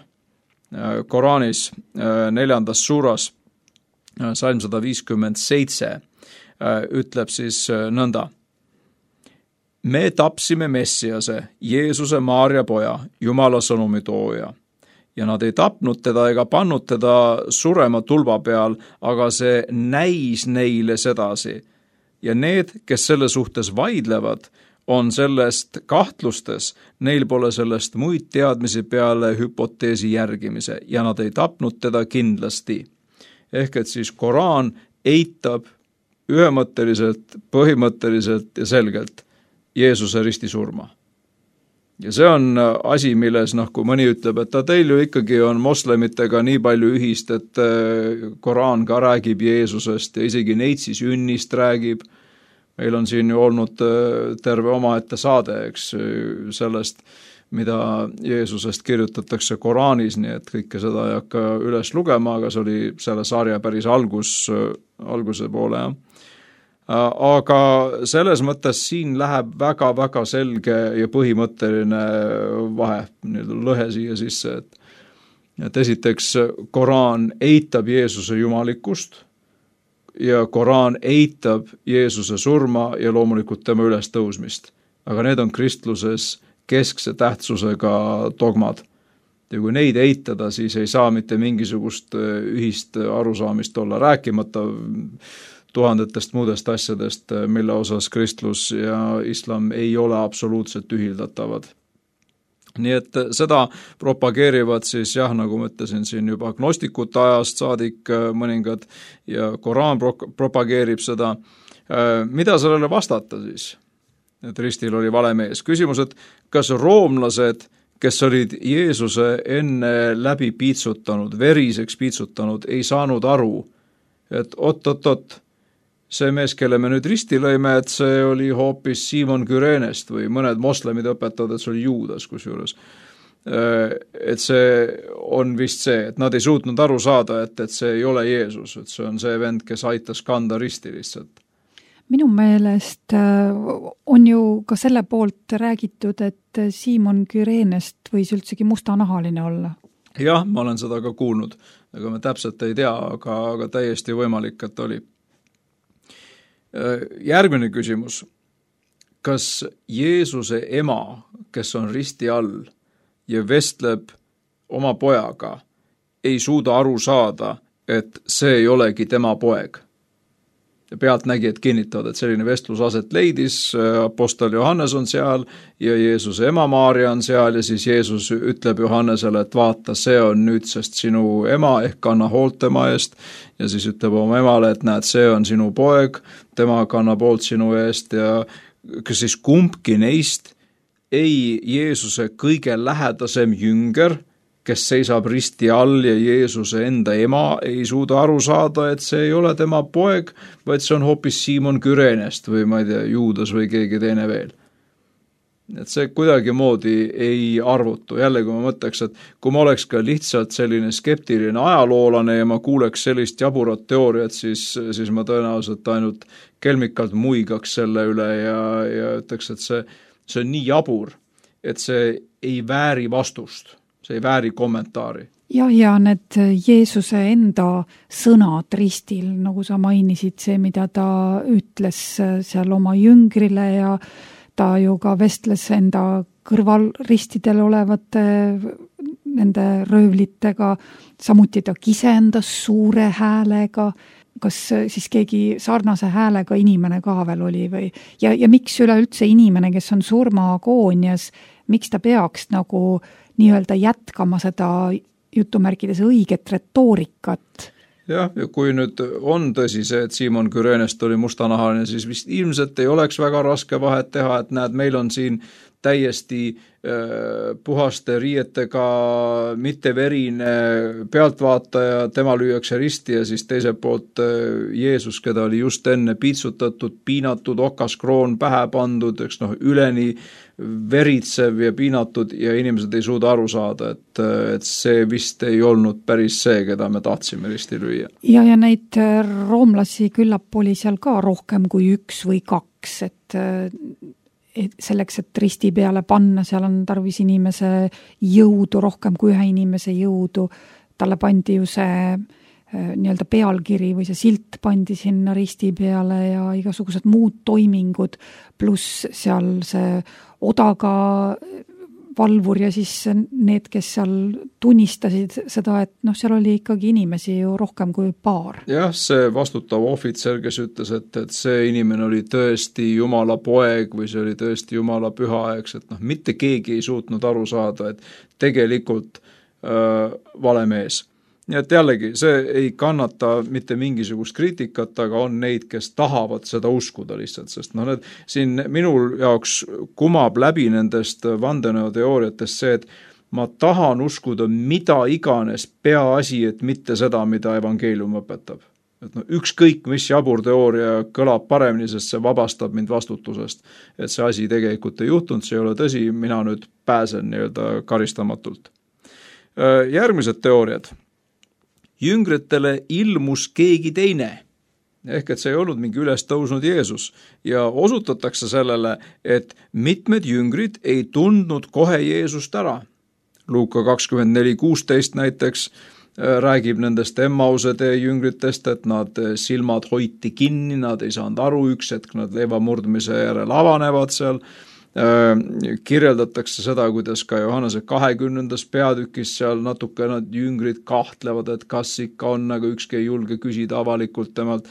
Koraanis 4. suuras salm 157 ütleb siis nõnda. Me tapsime Messiase, Jeesuse Maarja poja, Jumala sõnumi tooja. Ja nad ei tapnud teda ega pannud teda surema tulba peal, aga see näis neile sedasi. Ja need, kes selle suhtes vaidlevad, on sellest kahtlustes, neil pole sellest muid teadmisi peale hüpoteesi järgimise ja nad ei tapnud teda kindlasti. Ehk et siis Koraan eitab ühemõtteliselt, põhimõtteliselt ja selgelt Jeesuse ristisurma. Ja see on asi, milles, kui mõni ütleb, et teil ju ikkagi on moslemitega nii palju ühist, et Koraan ka räägib Jeesusest ja isegi neitsi sünnist räägib. Meil on siin ju olnud terve omaette saade, eks, sellest, mida Jeesusest kirjutatakse Koraanis, nii et kõike seda ei hakka üles lugema, aga see oli selle sarja päris alguse poole, jah. Aga selles mõttes siin läheb väga-väga selge ja põhimõtteline vahe, lõhe siia sisse, et esiteks Koraan eitab Jeesuse jumalikkust ja Koraan eitab Jeesuse surma ja loomulikult tema ülestõusmist. Aga need on kristluses keskse tähtsusega dogmad. Ja kui neid eitada, siis ei saa mitte mingisugust ühist arusaamist olla, rääkimata tuhandetest muudest asjadest, mille osas kristlus ja islam ei ole absoluutselt ühildatavad. Nii et seda propageerivad siis nagu ma ütlesin siin juba agnostikute ajast saadik mõningad ja Koraan propageerib seda. Mida sellele vastata siis? Et ristil oli vale mees. Küsimus, et kas roomlased, kes olid Jeesuse enne läbi piitsutanud, veriseks piitsutanud, ei saanud aru, et oot, see mees, kelle me nüüd risti lõime, et see oli hoopis Simon Kürenest või mõned moslemid õpetavad, et see oli Juudas kusjuures. Et see on vist see, et nad ei suutnud aru saada, et see ei ole Jeesus, et see on see vend, kes aitas kanda risti lihtsalt. Minu meelest on ju ka selle poolt räägitud, et Simon Kürenest võis üldsegi mustanahaline olla. Jah, ma olen seda ka kuulnud, aga me täpselt ei tea, aga täiesti võimalik, et oli. Järgmine küsimus. Kas Jeesuse ema, kes on risti all ja vestleb oma pojaga, ei suuda aru saada, et see ei olegi tema poeg? Ja pealtnägijad kinnitavad, et selline vestlus aset leidis, apostel Johannes on seal ja Jeesuse ema Maarja on seal ja siis Jeesus ütleb Johannesele, et vaata, see on nüüdsest sinu ema ehk kanna hoolt tema eest ja siis ütleb oma emale, et näed, see on sinu poeg, tema kannab hoolt sinu eest ja kas siis kumbki neist ei Jeesuse kõige lähedasem jünger, kes seisab risti all ja Jeesuse enda ema ei suuda aru saada, et see ei ole tema poeg, vaid see on hoopis Simon Kürenest või ma ei tea, Juudas või keegi teine veel. Et see kuidagimoodi ei arvutu. Jälle, kui ma mõtleks, et kui ma oleks ka lihtsalt selline skeptiline ajaloolane ja ma kuuleks sellist jaburat teooriat, siis ma tõenäoliselt ainult kelmikalt muigaks selle üle ja ütleks, et see on nii jabur, et see ei vääri vastust. See ei vääri kommentaari. Ja need Jeesuse enda sõnad ristil, nagu sa mainisid, see, mida ta ütles seal oma jüngrile ja ta ju ka vestles enda kõrval ristidel olevate nende röövlitega, samuti ta kisendas suure häälega, kas siis keegi sarnase häälega inimene ka veel oli või? Ja miks üleüldse inimene, kes on surmaagoonias, miks ta peaks nagu nii-öelda jätkama seda jutumärkides õiget retoorikat? Jah, ja kui nüüd on tõsi see, et Simon Kürenest oli mustanahaline, siis vist ilmselt ei oleks väga raske vahet teha, et näed, meil on siin täiesti puhaste riietega, mitte verine pealtvaataja, tema lüüakse risti ja siis teiselt poolt Jeesus, keda oli just enne piitsutatud, piinatud, okaskroon pähe pandud, üleni veritsev ja piinatud ja inimesed ei suuda aru saada, et see vist ei olnud päris see, keda me tahtsime risti lüüa. Ja neid roomlasi küllap oli seal ka rohkem kui 1 või 2, et selleks, et risti peale panna, seal on tarvis inimese jõudu, rohkem kui 1 inimese jõudu. Talle pandi ju see nii-öelda pealkiri või see silt pandi sinna risti peale ja igasugused muud toimingud, pluss seal see odaga valvur ja siis need, kes seal tunnistasid seda, et seal oli ikkagi inimesi ju rohkem kui paar. Jah, see vastutav ohvitser, kes ütles, et see inimene oli tõesti Jumala poeg või see oli tõesti Jumala püha, et mitte keegi ei suutnud aru saada, et tegelikult vale mees. Nii et jällegi, see ei kannata mitte mingisugust kriitikat, aga on neid, kes tahavad seda uskuda lihtsalt, sest need siin minul jaoks kumab läbi nendest vandenõuteooriatest see, et ma tahan uskuda mida iganes, peaasi, et mitte seda, mida evangeelium õpetab. Et ükskõik, mis jabur teooria kõlab paremini, sest see vabastab mind vastutusest, et see asi tegelikult ei juhtunud, see ei ole tõsi, mina nüüd pääsen nii-öelda karistamatult. Järgmised teooriad. Jüngritele ilmus keegi teine, ehk et see ei olnud mingi üles tõusnud Jeesus ja osutatakse sellele, et mitmed jüngrid ei tundnud kohe Jeesust ära. Luuka 24:16 näiteks räägib nendest Emmause tee jüngritest, et nad silmad hoiti kinni, nad ei saanud aru, üks hetk nad leiva murdmise järel avanevad seal. Kirjeldatakse seda, kuidas ka Johannese 20. peatükis seal natuke nad jüngrid kahtlevad, et kas ikka on, aga ükski ei julge küsida avalikult temalt.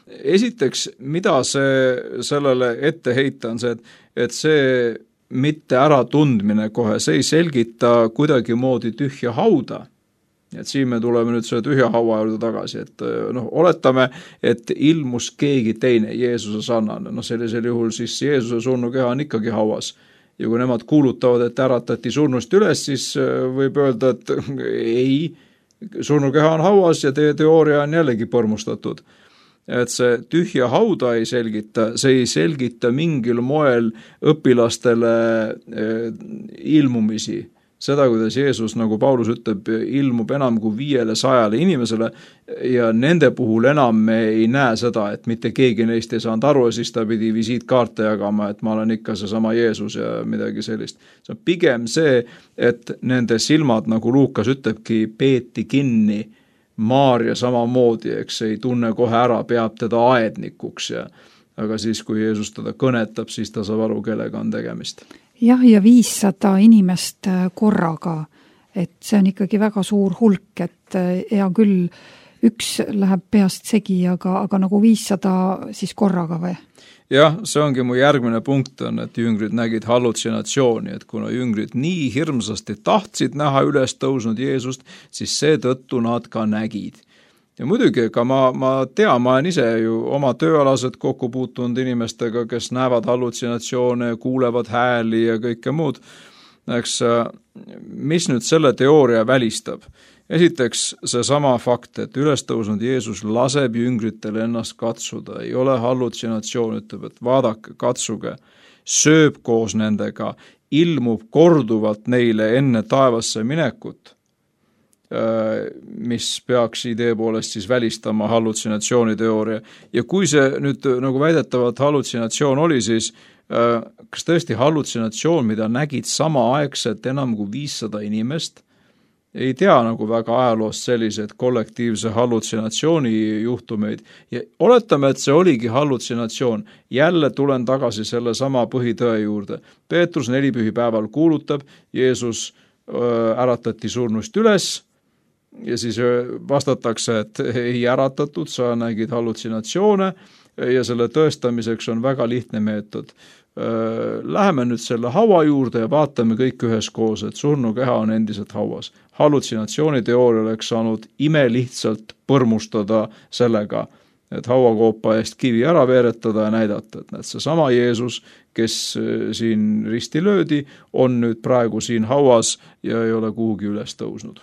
Esiteks, mida sellele ette heita on see, et see mitte äratundmine kohe, see ei selgita kuidagi moodi tühja hauda. Et siin me tuleme nüüd selle tühja haua juurde tagasi, et oletame, et ilmus keegi teine Jeesuse sarnane. Sellisel juhul siis Jeesuse surnukeha on ikkagi hauas. Ja kui nemad kuulutavad, et äratati surnust üles, siis võib öelda, et ei, surnukeha on hauas ja teie teooria on jällegi põrmustatud. Et see tühja hauda ei selgita, see ei selgita mingil moel õpilastele ilmumisi. Seda, kuidas Jeesus, nagu Paulus ütleb, ilmub enam kui 500 inimesele ja nende puhul enam me ei näe seda, et mitte keegi neist ei saanud aru ja siis ta pidi visiitkaarte jagama, et ma olen ikka seesama Jeesus ja midagi sellist. See on pigem see, et nende silmad, nagu Luukas ütlebki, peeti kinni. Maaria samamoodi, eks ei tunne kohe ära, peab teda aednikuks aga siis, kui Jeesus teda kõnetab, siis ta saab aru, kellega on tegemist. Jah, ja 500 inimest korraga, et see on ikkagi väga suur hulk, et hea küll, üks läheb peast segi, aga nagu 500 siis korraga või? Jah, see ongi mu järgmine punkt on, et jüngrid nägid hallutsinatsiooni, et kuna jüngrid nii hirmsasti tahtsid näha üles tõusnud Jeesust, siis seetõttu nad ka nägid. Ja muidugi, ka ma tean, ma olen ise ju oma tööalaselt kokku puutunud inimestega, kes näevad hallutsinatsioone ja kuulevad hääli ja kõike muud. Eks, mis nüüd selle teooria välistab? Esiteks seesama fakt, et ülestõusnud Jeesus laseb jüngritel ennast katsuda, ei ole hallutsinatsioon, ütleb, et vaadake, katsuge, sööb koos nendega, ilmub korduvalt neile enne taevasse minekut, mis peaks idee poolest siis välistama hallutsinatsiooni teooria. Ja kui see nüüd nagu väidetavalt hallutsinatsioon oli, siis kas tõesti hallutsinatsioon, mida nägid samaaegselt enam kui 500 inimest, ei tea nagu väga ajaloost sellised kollektiivse hallutsinatsiooni juhtumeid. Ja oletame, et see oligi hallutsinatsioon. Jälle tulen tagasi selle sama põhitõe juurde. Peetrus 4 pühipäeval kuulutab, Jeesus äratati surnust üles, ja siis vastatakse, et ei äratatud, sa nägid hallutsinatsioone ja selle tõestamiseks on väga lihtne meetod. Läheme nüüd selle haua juurde ja vaatame kõik üheskoos, et surnukeha on endiselt hauas. Hallutsinatsiooni teooria oleks saanud imelihtsalt põrmustada sellega, et hauakoopa eest kivi ära veeretada ja näidata, et näed, seesama Jeesus, kes siin risti löödi, on nüüd praegu siin hauas ja ei ole kuhugi üles tõusnud.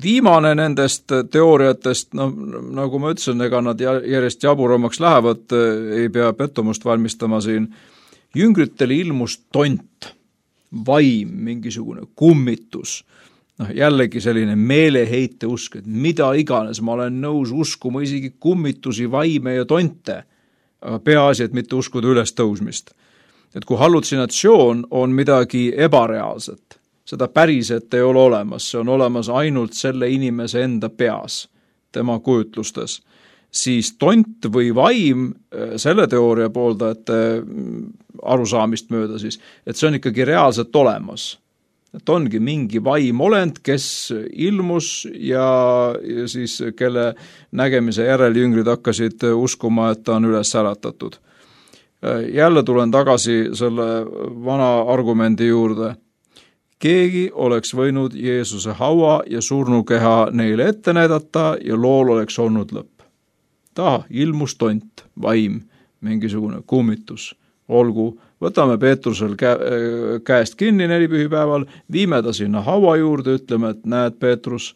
Viimane nendest teooriatest, nagu ma ütlesin, ega nad järjest jaburamaks lähevad, ei pea pettumust valmistama siin. Jüngritele ilmus tont, vaim, mingisugune kummitus, jällegi selline meeleheite usk, et mida iganes, ma olen nõus uskuma isegi kummitusi, vaime ja tonte, aga peaasi, et mitte uskuda üles tõusmist. Et kui hallutsinatsioon on midagi ebareaalset, seda päriselt ei ole olemas, see on olemas ainult selle inimese enda peas, tema kujutlustes, siis tont või vaim, selle teooria pooldajate arusaamist mööda siis, et see on ikkagi reaalselt olemas. Et ongi mingi vaimolend, kes ilmus ja siis kelle nägemise järel jüngrid hakkasid uskuma, et ta on üles äratatud. Jälle tulen tagasi selle vana argumendi juurde. Keegi oleks võinud Jeesuse haua ja surnukeha neile ette näidata ja lool oleks olnud lõpp. Ilmus tont, vaim, mingisugune kummitus. Olgu, võtame Peetrusel käest kinni nelipühipäeval, viime ta sinna haua juurde, ütleme, et näed, Peetrus,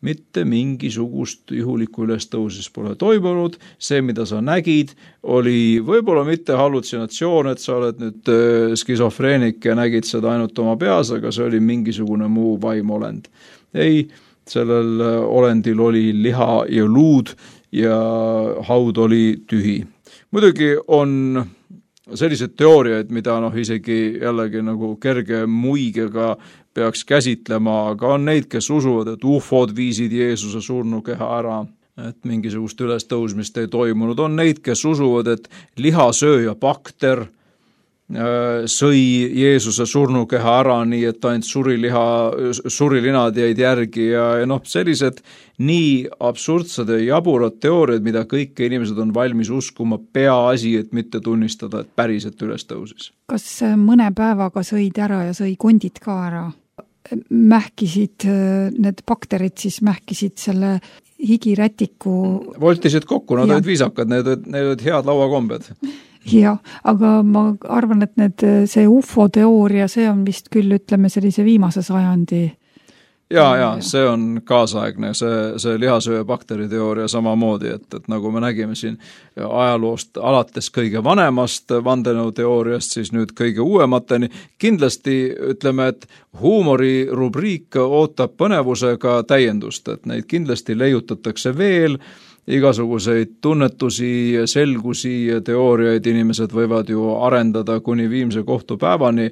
mitte mingisugust juhulikku ülestõusis pole toimunud, see, mida sa nägid, oli võib-olla mitte hallutsinatsioon, et sa oled nüüd skisofreenik ja nägid seda ainult oma peas, aga see oli mingisugune muu vaimolend. Ei, sellel olendil oli liha ja luud ja haud oli tühi. Muidugi on sellised teooriaid, mida isegi jällegi nagu kerge muigega peaks käsitlema, aga on neid, kes usuvad, et ufod viisid Jeesuse surnukeha ära, et mingisugust ülestõusmist ei toimunud. On neid, kes usuvad, et lihasööja bakter sõi Jeesuse surnukeha ära, nii et ainult surilinad jäid järgi ja sellised nii absurdsed ja jaburad teooriad, mida kõik inimesed on valmis uskuma, peaasi, et mitte tunnistada, et päriselt üles tõusis. Kas mõne päevaga sõid ära ja sõi kondid ka ära? Mähkisid, need bakterid siis mähkisid selle higirätiku... Voltisid kokku, nad olid viisakad, need olid head lauakombed. Jah, aga ma arvan, et see UFO-teooria, see on vist küll, ütleme, sellise viimase sajandi. Ja, see on kaasaegne, see lihasööja bakteriteooria samamoodi, et nagu me nägime siin ajaloost alates kõige vanemast vandenõuteooriast, siis nüüd kõige uuemateni. Kindlasti ütleme, et huumori rubriik ootab põnevusega täiendust, et neid kindlasti leiutatakse veel, igasuguseid tunnetusi, selgusi ja teooriaid inimesed võivad ju arendada kuni viimse kohtupäevani.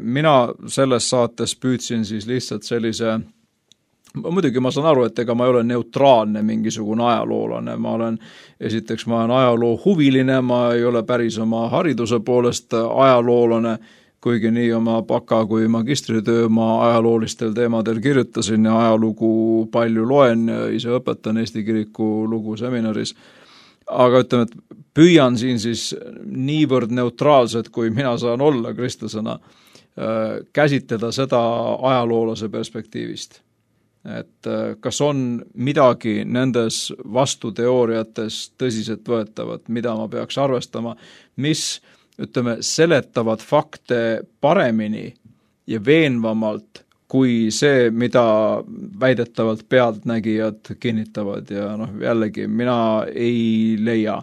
Mina selles saates püüdsin siis lihtsalt sellise, muidugi ma saan aru, et ega ma ei ole neutraalne mingisugune ajaloolane, ma olen ajaloo huviline, ma ei ole päris oma hariduse poolest ajaloolane, kuigi nii oma baka kui magistritöö ma ajaloolistel teemadel kirjutasin ja ajalugu palju loen ja ise õpetan Eesti kiriku lugu seminaris. Aga ütleme, et püüan siin siis niivõrd neutraalselt, kui mina saan olla kristlasena, käsitleda seda ajaloolase perspektiivist. Et kas on midagi nendes vastuteooriates tõsiselt võetavat, mida ma peaks arvestama, mis, ütleme, seletavad fakte paremini ja veenvamalt kui see, mida väidetavalt pealtnägijad kinnitavad ja jällegi mina ei leia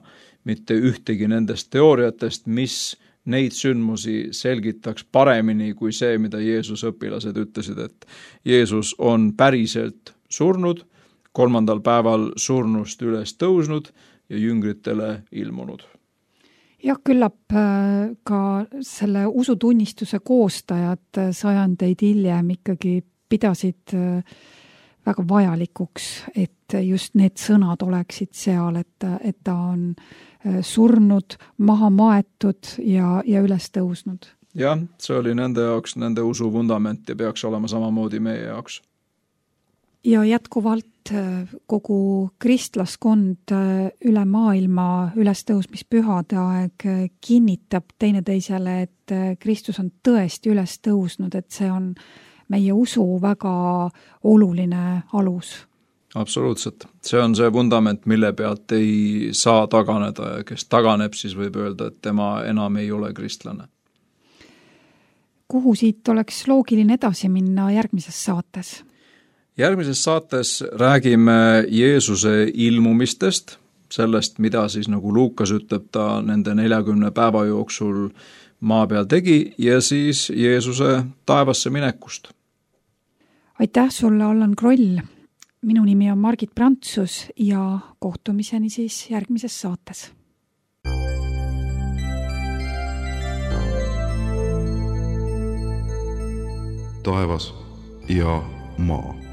mitte ühtegi nendest teooriatest, mis neid sündmusi selgitaks paremini kui see, mida Jeesus õpilased ütlesid, et Jeesus on päriselt surnud, 3. päeval surnust üles tõusnud ja jüngritele ilmunud. Ja küllap ka selle usutunnistuse koostajad sajandeid hiljem ikkagi pidasid väga vajalikuks, et just need sõnad oleksid seal, et ta on surnud, maha maetud ja üles tõusnud. Jah, see oli nende jaoks, nende usu vundament ja peaks olema samamoodi meie jaoks. Ja jätkuvalt kogu kristlaskond üle maailma ülestõusmispühade aeg kinnitab teineteisele, et Kristus on tõesti üles tõusnud, et see on meie usu väga oluline alus. Absoluutselt. See on see vundament, mille pealt ei saa taganeda ja kes taganeb, siis võib öelda, et tema enam ei ole kristlane. Kuhu siit oleks loogiline edasi minna järgmises saates? Järgmises saates räägime Jeesuse ilmumistest, sellest, mida siis nagu Luukas ütleb, ta nende 40 päeva jooksul maa peal tegi ja siis Jeesuse taevasse minekust. Aitäh sulle, Allan Kroll! Minu nimi on Margit Prantsus ja kohtumiseni siis järgmises saates. Taevas ja maa.